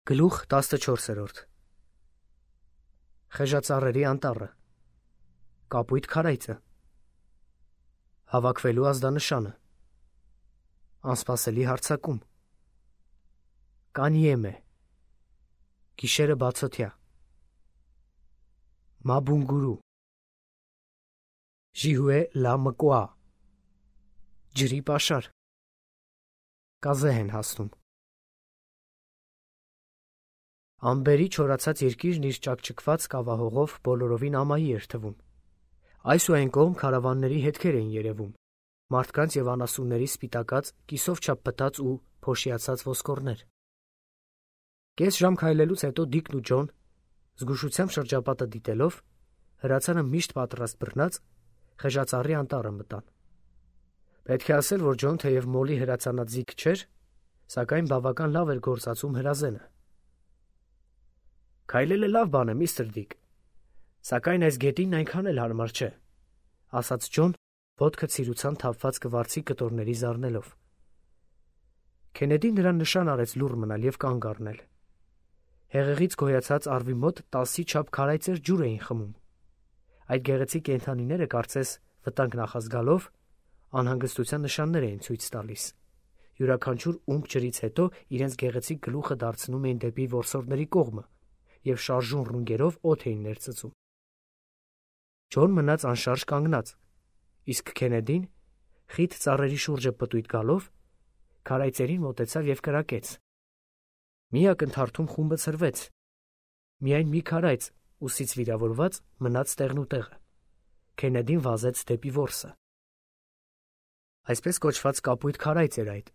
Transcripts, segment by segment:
Գլուխ 14. Խեժածառերի անտառը, կապույտ քարայծը, հավաքվելու ազդանշանը, անսպասելի հարձակում, կանիեմե, գիշերը բացօթյա, մաբունգուրու, ժիհուե լա մկուա, ջրի պաշար, կազե են հասնում։ Ամբերի չորացած երկիրն իր ճակճկված կավահողով բոլորովին ամայի էր թվում։ Այս ու այն կողմ քարավանների հետքեր էին երևում, մարդկանց և անասունների սպիտակած, կիսով չափ փտած ու փոշիացած ոսկորներ։ Կես ժամ քայլելուց հետո Դիկն ու Ջոն, զգուշությամբ շրջապատը դիտելով, հրացանը միշտ պատրաստ բռնած, խեժածառի անտառը մտան։ Պետք է ասել, որ Ջոն թեև մոլի հրացանած զիգ չէր, սակայն բավական լավ էր գործածում հրազենը։ Քայլելը լավ բան է, միստր Դիկ, սակայն այս գետինն այնքան էլ հարմար չէ, ասաց Ջոն, ոտքը ցիրուցան թափված կվարձի կտորների զարնելով։ Քենեդին նրան նշան արեց լուռ մնալ և կանգ առնել։ Հեղեղից գոյացած առվի մոտ 10-ի չափ քարայծեր ջուր էին խմում։ Այդ գեղեցիկ կենդանիները կարծես վտանգ նախազգալով անհանգստության նշաններ էին ցույց տալիս։ Յուրաքանչյուր ումպ ջրից հետո իրենց գեղեցիկ գլուխը դարձնում էին դեպի որսորդների կողմը և շարժուն ռունգերով օդ էին ներծծում։ Ջոն մնաց անշարժ կանգնած, իսկ Քենեդին, խիտ ծառերի շուրջը պտույտ գալով, քարայծերին մոտեցավ և կրակեց։ Մի ակնթարթում խումբը ցրվեց։ Միայն մի քարայծ, ուսից վիրավորված, մնաց տեղնուտեղը։ Քենեդին վազեց դեպի որսը։ Այսպես կոչված կապույտ քարայծ էր այդ։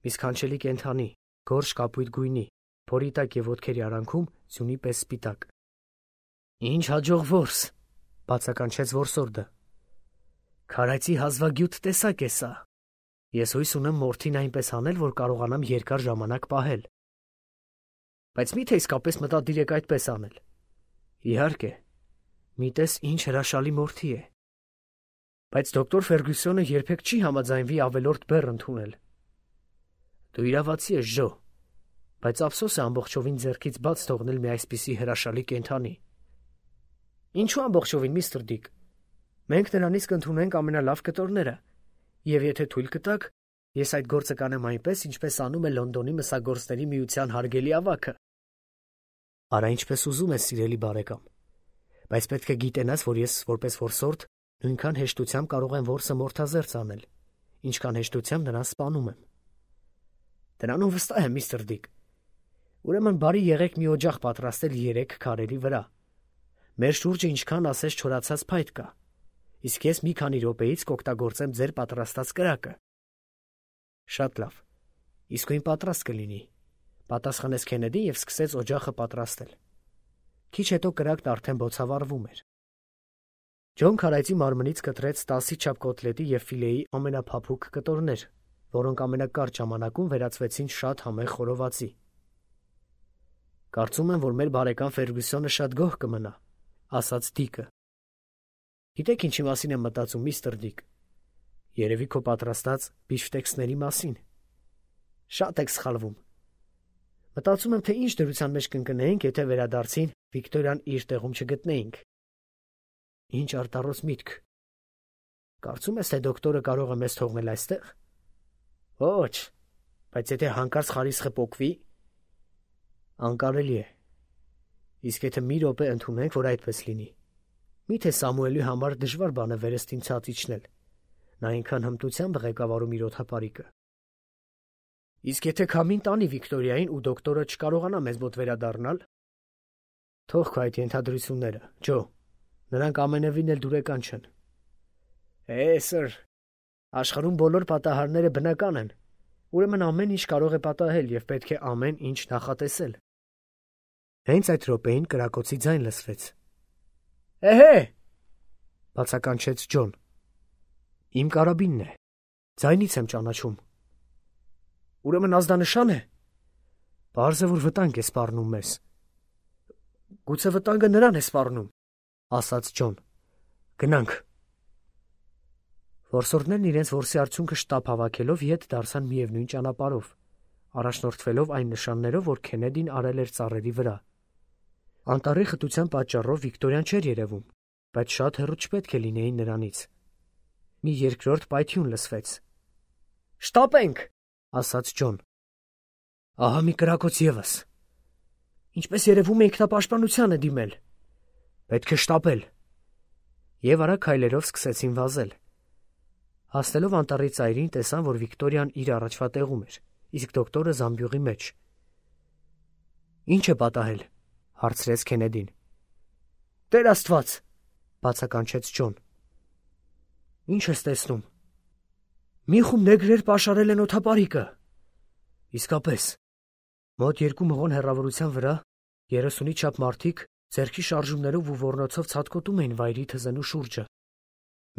Մի սքանչելի կենդանի, գորշ կապույտ գույնի, փորի տակ և ոտքերի արանքում ձյունի պես սպիտակ։ Ինչ հաջող որս, բացականչեց որսորդը։ Քարայծի հազվագյուտ տեսակ է սա։ Ես հույս ունեմ մորթին այնպես անել, որ կարողանամ երկար ժամանակ պահել։ Բայց մի՞թե իսկապես մտադիր եք այդպես անել։ Իհարկե, մի տես ինչ հրաշալի մորթի է։ Բայց դոկտոր Ֆերգյուսոնը երբեք չի համաձայնվի ավելորդ բեռ ընդունել։ Դու իրավացի ես, Ջո, բայց ափսոս է ամբողջովին ձեռքից բաց թողնել մի այսպիսի հրաշալի կենդանի։ Ինչու ամբողջովին, միստր Դիկ։ Մենք նրանից կընդունենք ամենալավ կտորները, և եթե թույլ կտաք, ես այդ գործը կանեմ այնպես, ինչպես անում է Լոնդոնի մսագործների միության հարգելի ավագը։ Արա ինչպես ուզում ես, սիրելի բարեկամ, բայց պետք է գիտենաս, որ ես որպես որսորդ նույնքան հեշտությամբ կարող եմ որսը մորթազերծ անել, ինչքան հեշտությամբ նրան սպանում եմ։ Դրանում վստահ եմ, միստր Դիկ։ Ուրեմն բարի եղեք մի օջախ պատրաստել 3 քարերի վրա։ Մեր շուրջը ինչքան ասես չորացած փայտ կա, իսկ ես մի քանի րոպեից կօգտագործեմ ձեր պատրաստած կրակը։ Շատ լավ, իսկույն պատրաստ կլինի, պատասխանեց Քենեդին և սկսեց օջախը պատրաստել։ Քիչ հետո կրակն արդեն բոցավառվում էր։ Ջոն քարայծի մարմնից կտրեց 10-ի չափ կոտլետի և ֆիլեի ամենափափուկ կտորներ, որոնք ամենակարճ ժամանակում վերածվեցին շատ համեղ խորովածի։ Կարծում եմ, որ մեր բարեկամ Ֆերգյուսոնը շատ գոհ կմնա, ասաց Դիկը։ Գիտեք ինչի մասին եմ մտածում, միստր Դիկ։ Երևի քո պատրաստած բիֆշտեքսների մասին։ Շատ եք սխալվում։ Մտածում եմ, թե ինչ դրության մեջ կընկնեինք, եթե վերադարձին Վիկտորիան իր տեղում չգտնեինք։ Ինչ արտառոց միտք։ Կարծում ես, թե դոկտորը կարող է մեզ թողնել այստեղ։ Ոչ, բայց եթե հանկարծ խարիսխը պոկվի, անկարելի է։ Իսկ եթե մի րոպե ընդունենք, որ այդպես լինի, միթե Սամուելի համար դժվար բան է վերստին ցած իջնել։ Նա այնքան հմտությամբ ղեկավարում իր օդապարիկը։ Իսկ եթե քամին տանի Վիկտորիային ու դոկտորը չկարողանա մեզ մոտ վերադառնալ, թող քո այդ ենթադրությունները, Ջո, նրանք ամենևին էլ դուրեկան չեն։ Սըր, աշխարհում բոլոր պատահարները բնական են, ուրեմն ամեն ինչ կարող է պատահել և պետք է ամեն ինչ նախատեսել։ Հենց այդ րոպեին կրակոցի ձայն լսվեց։ Էհե, բացականչեց Ջոն։ Իմ կարաբինն է, ձայնից եմ ճանաչում։ Ուրեմն ազդանշան է։ Պարզ է, որ վտանգ է սպառնում մեզ։ Գուցե վտանգը նրան է սպառնում, ասաց Ջոն։ Գնանք։ Որսորդներն իրենց որսի արդյունքը շտապ հավաքելով ետ դարձան միևնույն ճանապարհով, առաջնորդվելով այն նշաններով, որ Քենեդին արել էր ծառերի վրա։ Անտառի խտության պատճառով Վիկտորիան չէր երևում, բայց շատ հեռու չպետք է լինեին նրանից։ Մի երկրորդ պայթյուն լսվեց։ «Շտապենք», ասաց Ջոն։ «Ահա մի կրակոց ևս։ Ինչպես երևում է, ինքնապաշտպանության է դիմել։ Պետք է շտապել»։ Եվ արագ քայլերով սկսեցին վազել։ Հասնելով անտառի ծայրին, տեսան, որ Վիկտորիան իր առաջվա տեղում էր, իսկ դոկտորը զամբյուղի մեջ։ «Ինչ է պատահել», հարցրեց Քենեդին։ «Տեր Աստված», բացականչեց Ջոն։ «Ինչ ես տեսնում»։ «Մի խումբ նեգրեր պաշարել են օդապարիկը»։ «Իսկապես»։ Մոտ 2 մղոն հեռավորության վրա 30-ի չափ մարդիկ ձեռքի շարժումներով ու ոռնոցով ցատկոտում էին վայրի թզենու շուրջը։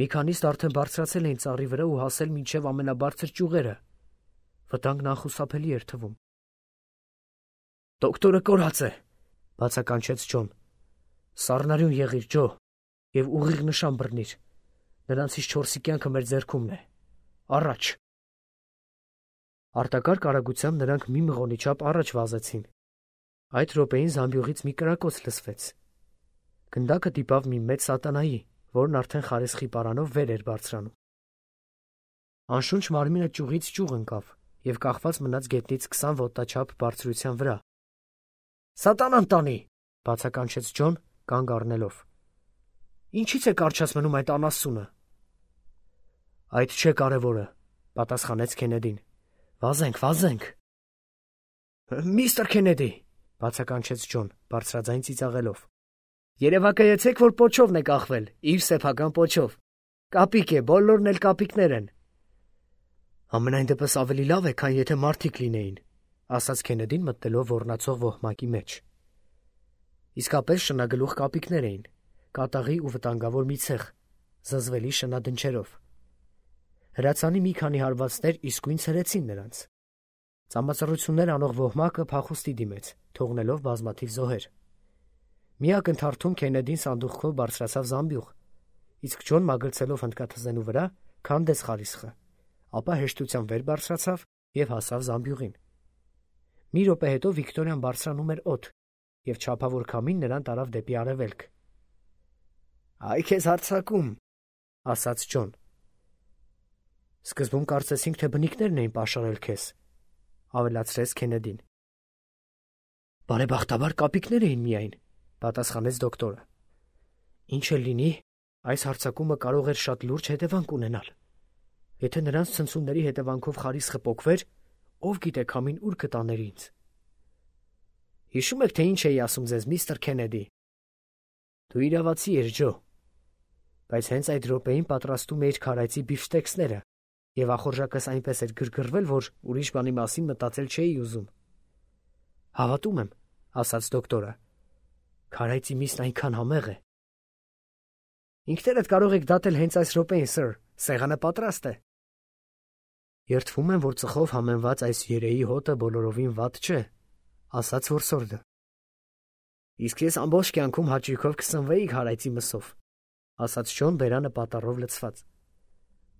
Մի քանիստ արդեն բարձրացել էին ծառի վրա ու հասել մինչև ամենաբարձր ճյուղերը։ Վտանգն անխուսափելի էր թվում։ «Դոկտորը կորած է», բացականչեց Ջոն։ «Սառնարյուն եղիր, Ջո, և ուղիղ նշան բռնիր։ Նրանցից 4-ի կյանքը մեր ձեռքումն է։ Առաջ»։ Արտակարգ արագությամբ նրանք մի մղոնի չափ առաջ վազեցին։ Այդ րոպեին զամբյուղից մի կրակոց լսվեց։ Գնդակը դիպավ մի մեծ սատանայի, որն արդեն խարեսխի պարանով վեր էր բարձրանում։ Անշունչ մարմինը ճյուղից ճյուղ ընկավ և կախված մնաց գետնից 20 ոտնաչափ բարձրության վրա։ «Սատանան տանի», բացականչեց Ջոն, կանգ առնելով։ «Ինչի՞ց է կարճած մնում այդ անասունը»։ «Այդ չէ կարևորը», պատասխանեց Քենեդին։ «Վազենք, վազենք»։ «Միստր Քենեդի», բացականչեց Ջոն, բարձրաձայն ծիծաղելով։ «Երևակայեցեք, որ պոչովն է կախվել, իր սեփական պոչով։ Կապիկ է, բոլորն էլ կապիկներ են»։ «Համենայն դեպս ավելի լավ է, քան եթե մարդիկ լինեին», ասաց Քենեդին մտնելով ոռնացող ոհմակի մեջ։ Իսկապես շնագլուխ կապիկներ էին, կատաղի ու վտանգավոր մի ցեղ, զզվելի շնադնչերով։ Հրացանի մի քանի հարվածներ իսկույն ցրեցին նրանց։ Ծամածռություններ անող ոհմակը փախուստի դիմեց, թողնելով բազմաթիվ զոհեր։ Մի ակնթարթում Քենեդին սանդուղքով բարձրացավ զամբյուղ, իսկ Ջոն մագլցելով հնդկաթզենու վրա, քանդեց խարիսխը, ապա հեշտությամբ վեր բարձրացավ և հասավ զամբյուղին։ Մի րոպե հետո Վիկտորիան բարձրանում էր օդ, և չափավոր քամին նրան տարավ դեպի արևելք։ «Այ քեզ հարձակում», ասաց Ջոն։ «Սկզբում կարծեցինք, թե բնիկներն էին պաշարել քեզ», ավելացրեց Քենեդին։ «Բարեբախտաբար կապիկներ էին միայն», պատասխանեց դոկտորը։ «Ինչ էլ լինի, այս հարձակումը կարող էր շատ լուրջ հետևանք ունենալ։ Եթե նրանց ցնցումների հետևանքով խարիսխը պոկվեր, ով գիտե քամին ուր կտաներ ինձ։ Հիշում եք, թե ինչ էի ասում ձեզ, միստր Քենեդի։ Դու իրավացի ես, Ջո, բայց հենց այդ րոպեին պատրաստում էիր քարայծի բիֆշտեքսները, և ախորժակս այնպես էր գրգռվել, որ ուրիշ բանի մասին մտածել չէի ուզում։ Հավատում եմ, ասաց դոկտորը։ Քարայծի միսն այնքան համեղ է։ Ինքներդ կարող եք դատել հենց այս րոպեին, սըր, սեղանը պատրաստ է։ Երդվում եմ, որ ծխով համեմված այս երեի հոտը բոլորովին վատ չէ, ասաց որսորդը։ Իսկ ես ամբողջ կյանքում հաճույքով կսնվեի քարայծի մսով, ասաց Ջոն բերանը պատառով լցված։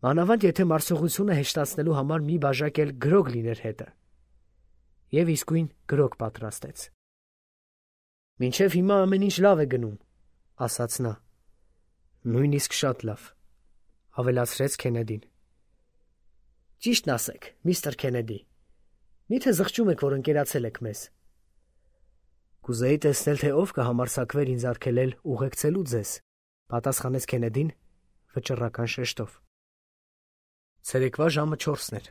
Մանավանդ եթե մարսողությունը հեշտացնելու համար մի բաժակ էլ գրոգ լիներ հետը։ Եվ իսկույն գրոգ պատրաստեց։ Մինչև հիմա ամեն ինչ լավ է գնում, ասաց նա։ Նույնիսկ շատ լավ, ավելացրեց Քենեդին։ Ճիշտն ասեք, միստր Քենեդի, միթե զղջում եք, որ ընկերացել եք մեզ։ Կուզեի տեսնել, թե ով կհամարձակվեր ինձ արգելել ուղեկցելու ձեզ, պատասխանեց Քենեդին վճռական շեշտով։ Ցերեկվա ժամը 4-ն էր։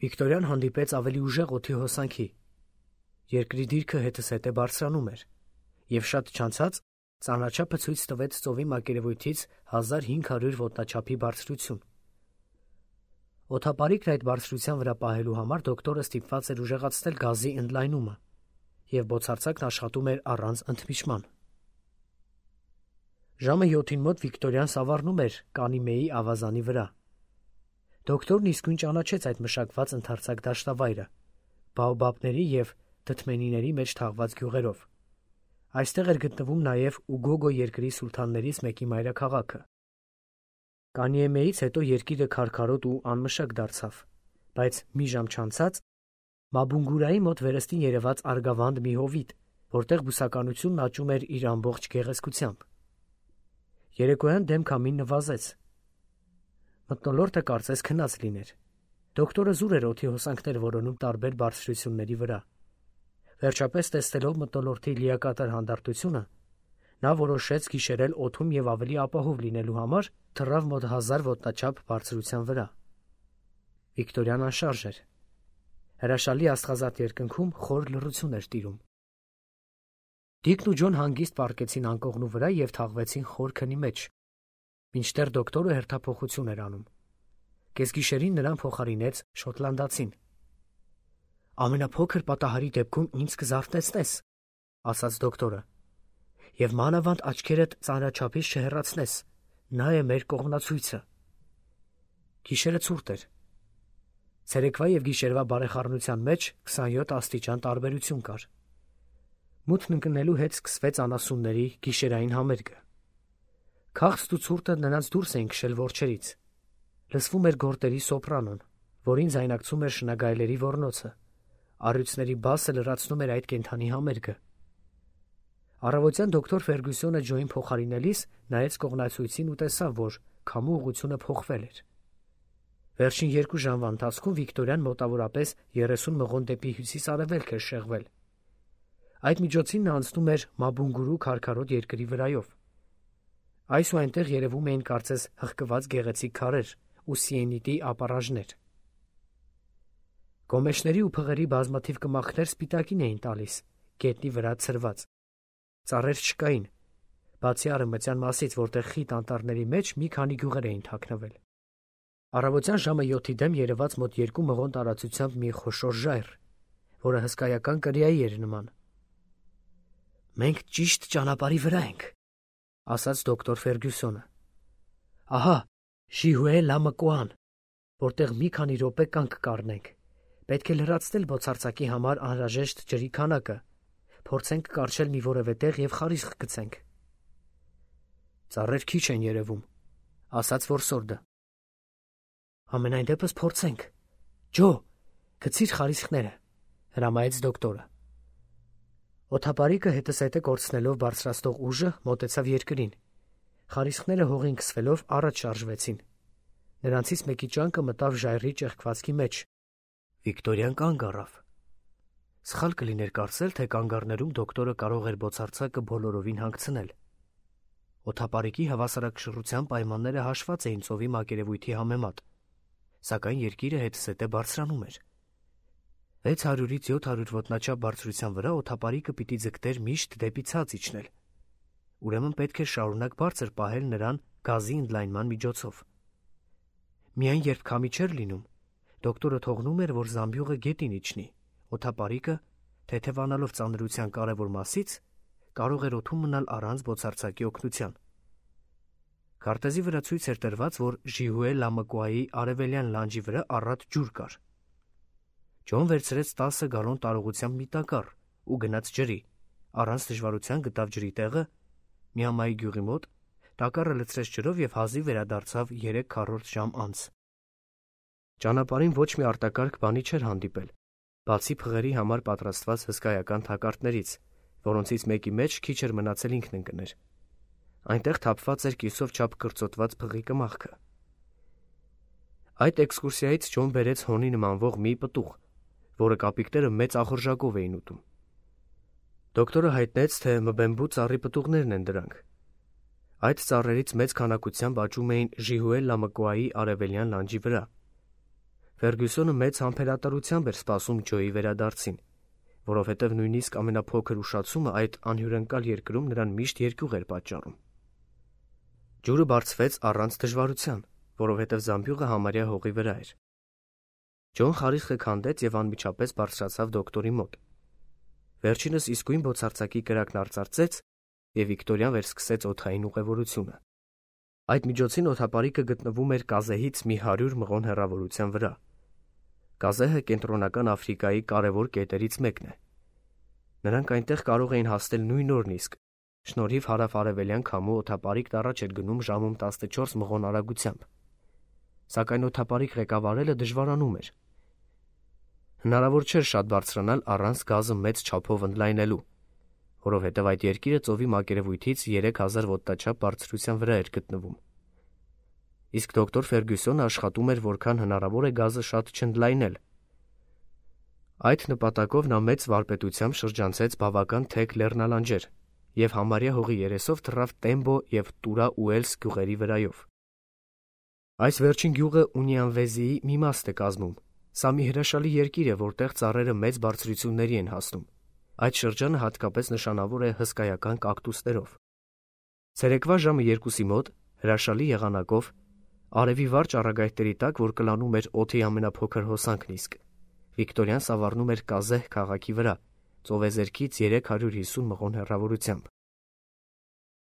Վիկտորիան հանդիպեց ավելի ուժեղ օդի հոսանքի։ Երկրի դիրքը հետզհետե բարձրանում էր, և շատ չանցած ծանրաչափը ցույց տվեց ծովի մակերևույթից 1500 ոտնաչափի բարձրություն։ Օդապարիկն այդ բարձրության վրա պահելու համար դոկտորը ստիպված էր ուժեղացնել գազի ընդլայնումը, և բոցարձակն աշխատում էր առանց ընդմիջման։ Ժամը 7-ին մոտ Վիկտորիան սավառնում էր Կանիմեի ավազանի վրա։ Դոկտորն իսկույն ճանաչեց այդ մշակված ընդարձակ դաշտավայրը, բաոբաբների և դդմենիների մեջ թաղված գյուղերով։ Այստեղ էր գտնվում նաև Ուգոգո երկրի սուլթաններից մեկի մայրաքաղաքը։ Կանիեմեից հետո երկիրը քարքարոտ ու անմշակ դարձավ, բայց մի ժամ չանցած Մաբունգուրայի մոտ վերստին երևաց արգավանդ մի հովիտ, որտեղ բուսականությունն աճում էր իր ամբողջ գեղեցկությամբ։ Երեկոյան դեմ քամին նվազեց։ Մթնոլորտը կարծես քնած լիներ։ Դոկտորը զուր էր օդի հոսանքներ որոնում տարբեր բարձրությունների վրա։ Վերջապես տեսնելով մթնոլորտի լիակատար հանդարտությունը, նա որոշեց գիշերել օդում և ավելի ապահով լինելու համար թռավ մոտ 1000 ոտնաչափ բարձրության վրա։ Վիկտորիան անշարժ էր։ Հրաշալի աստղազարդ երկնքում խոր լռություն էր տիրում։ Դիկն ու Ջոն հանգիստ պառկեցին անկողնու վրա և թաղվեցին խոր քնի մեջ, մինչդեռ դոկտորը հերթափոխություն էր անում։ Կեսգիշերին նրան փոխարինեց շոտլանդացին։ «Ամենափոքր պատահարի դեպքում ինձ կզարթնեցնես», ասաց դոկտորը, «և մանավանդ աչքերդ ծանրաչափից չհեռացնես, նա է մեր կողմնացույցը»։ Գիշերը ցուրտ էր։ Ցերեկվա և գիշերվա բարեխառնության մեջ 27 աստիճան տարբերություն կար։ Մութն ընկնելու հետ սկսվեց անասունների գիշերային համերգը։ Քաղցն ու ցուրտը նրանց դուրս էին քշել որջերից։ Լսվում էր գորտերի սոպրանոն, որին ձայնակցում էր շնագայլերի ոռնոցը։ Առյուծների բասը լրացնում էր այդ կենդանի համերգը։ Առավոտյան դոկտոր Ֆերգյուսոնը Ջոին փոխարինելիս նայեց կողմնացույցին ու տեսավ, որ քամու ուղղությունը փոխվել էր։ Վերջին 2 ժամվա ընթացքում Վիկտորիան մոտավորապես 30 մղոն դեպի հյուսիս-արևելք էր շեղվել։ Այդ միջոցին նա անցնում էր Մաբունգուրու քարքարոտ երկրի վրայով։ Այս ու այնտեղ երևում էին կարծես հղկված գեղեցիկ քարեր ու սիենիտի ապառաժներ։ Գոմեշների ու փղերի բազմաթիվ կմախքներ սպիտակին էին տալիս, գետնի վրա ցրված։ Ծառեր չկային, բացի արևմտյան մասից, որտեղ խիտ անտառների մեջ մի քանի գյուղեր էին թաքնվել։ Առավոտյան ժամը 7-ի դեմ երևաց մոտ 2 մղոն տարածությամբ մի խոշոր ժայռ, որը հսկայական կրիայի էր նման։ «Մենք ճիշտ ճանապարհի վրա ենք», ասաց դոկտոր Ֆերգյուսոնը։ «Ահա, Ժիհուե Լամկուան, որտեղ մի քանի րոպե կանգ կառնենք։ Պետք է լրացնել բոցարծակի համար անհրաժեշտ ջրի քանակը, փորձենք կառչել մի որևէ տեղ և խարիսխ գցենք»։ «Ծառեր քիչ են երևում», ասաց որսորդը։ «Համենայն դեպս փորձենք։ Ջո, գցիր խարիսխները», հրամայեց դոկտորը։ Օդապարիկը հետզհետե կորցնելով բարձրացնող ուժը մոտեցավ երկրին։ Խարիսխները հողին քսվելով առաջ շարժվեցին։ Նրանցից մեկի ճանկը մտավ ժայռի ճեղքվածքի մեջ։ Վիկտորիան կանգ առավ։ Սխալ կլիներ կարծել, թե կանգառներում դոկտորը կարող էր բոցարծակը բոլորովին հանգցնել։ Օդապարիկի հավասարակշռության պայմանները հաշված էին ծովի մակերևույթի համեմատ, սակայն երկիրը հետզհետե բարձրանում էր։ 600-ից 700 ոտնաչափ բարձրության վրա օդապարիկը պիտի ձգտեր միշտ դեպի ցած իջնել։ Ուրեմն պետք է շարունակ բարձր պահել նրան գազի ընդլայնման միջոցով։ Միայն երբ քամի չէր լինում, դոկտորը թողնում էր, որ զամբյուղը գետին իջնի, օդապարիկը, թեթևանալով ծանրության կարևոր մասից, կարող էր օդում մնալ առանց բոցարծակի օգնության։ Քարտեզի վրա ցույց էր տրված, որ Ժիհուե Լամկուայի արևելյան լանջի վրա առատ ջուր կար։ Ջոն վերցրեց 10 գալոն տարողությամբ մի տակառ ու գնաց ջրի, առանց դժվարության գտավ ջրի տեղը Միամայի գյուղի մոտ, տակառը լցրեց ջրով և հազիվ վերադարձավ 3/4 ժամ անց։ Ճանապարհին ոչ մի արտակարգ բանի չէր հանդիպել, բացի փղերի համար պատրաստված հսկայական թակարդներից, որոնցից մեկի մեջ քիչ էր մնացել ինքն ընկներ։ Այնտեղ թափված էր կիսով չափ կրծոտված փղի կմախքը։ Այդ էքսկուրսիայից Ջոն բերեց հոնի նմանվող մի պտուղ, որը կապիկները մեծ ախորժակով էին ուտում։ Դոկտորը հայտնեց, թե մբեմբու ծառի պտուղներն են դրանք։ Այդ ծառերից մեծ քանակությամբ աճում էին Ժիհուե Լամկուայի արևելյան լանջի վրա։ Ֆերգյուսոնը մեծ համբերատարությամբ էր սպասում Ջոյի վերադարձին, որովհետև նույնիսկ ամենափոքր ուշացումը այդ անհյուրընկալ երկրում նրան միշտ երկյուղ էր պատճառում։ Ջուրը բարձվեց առանց դժվարության, որովհետև զամբյուղը համարյա հողի վրա էր։ Ջոն խարիսխը քանդեց և անմիջապես բարձրացավ դոկտորի մոտ։ Վերջինս իսկույն բոցարծակի կրակն արծարծեց, և Վիկտորիան վերսկսեց օդային ուղևորությունը։ Այդ միջոցին օդապարիկը գտնվում էր Կազեհից մի 100 մղոն հեռավորության վրա։ Կազեհը Կենտրոնական Աֆրիկայի կարևոր կետերից մեկն է։ Նրանք այնտեղ կարող էին հասնել նույն օրն իսկ, շնորհիվ հարավ-արևելյան քամու օդապարիկն առաջ էր գնում ժամում 14 մղոն արագությամբ։ Սակայն օդապարիկ ղեկավարելը դժվարանում էր։ Հնարավոր չէր շատ բարձրանալ առանց գազը մեծ չափով ընդլայնելու, որովհետև այդ երկիրը ծովի մակերևույթից 3000 ոտնաչափ բարձրության վրա էր գտնվում։ Իսկ դոկտոր Ֆերգյուսոնը աշխատում էր որքան հնարավոր է գազը շատ չընդլայնել։ Այդ նպատակով նա մեծ վարպետությամբ շրջանցեց բավական թեք լեռնալանջեր և համարյա հողի երեսով թռավ Տեմբո և Տուրա Ուելս գյուղերի վրայով։ Այս վերջին գյուղը Ունիանվեզիի մի մաստ է կազմում։ Սա մի հրաշալի երկիր է, որտեղ ծառերը մեծ բարձրությունների են հասնում։ Այդ շրջանը հատկապես նշանավոր է հսկայական կակտուսներով։ Ցերեկվա ժամը 2-ի մոտ հրաշալի եղանակով արևի վարճ առագայթների տակ, որ կլանում էր օդի ամենափոքր հոսանքն իսկ, Վիկտորիան սավառնում էր Կազեհ քաղաքի վրա, ծովեզերքից 350 մղոն հեռավորությամբ։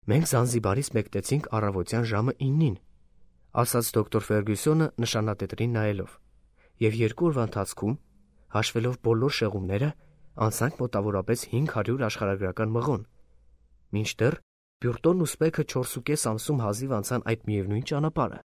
Մենք Զանզիբարից մեկնեցինք առավոտյան ժամը 9-ին, ասաց դոկտոր Ֆերգյուսոնը նշանատետրին նայելով, և 2 օրվա ընթացքում, հաշվելով բոլոր շեղումները, անցանք մոտավորապես 500 աշխարհագրական մղոն, մինչդեռ Բյուրտոնն ու Սպեքը 4,5 ամսում հազիվ անցան այդ միևնույն ճանապարհը։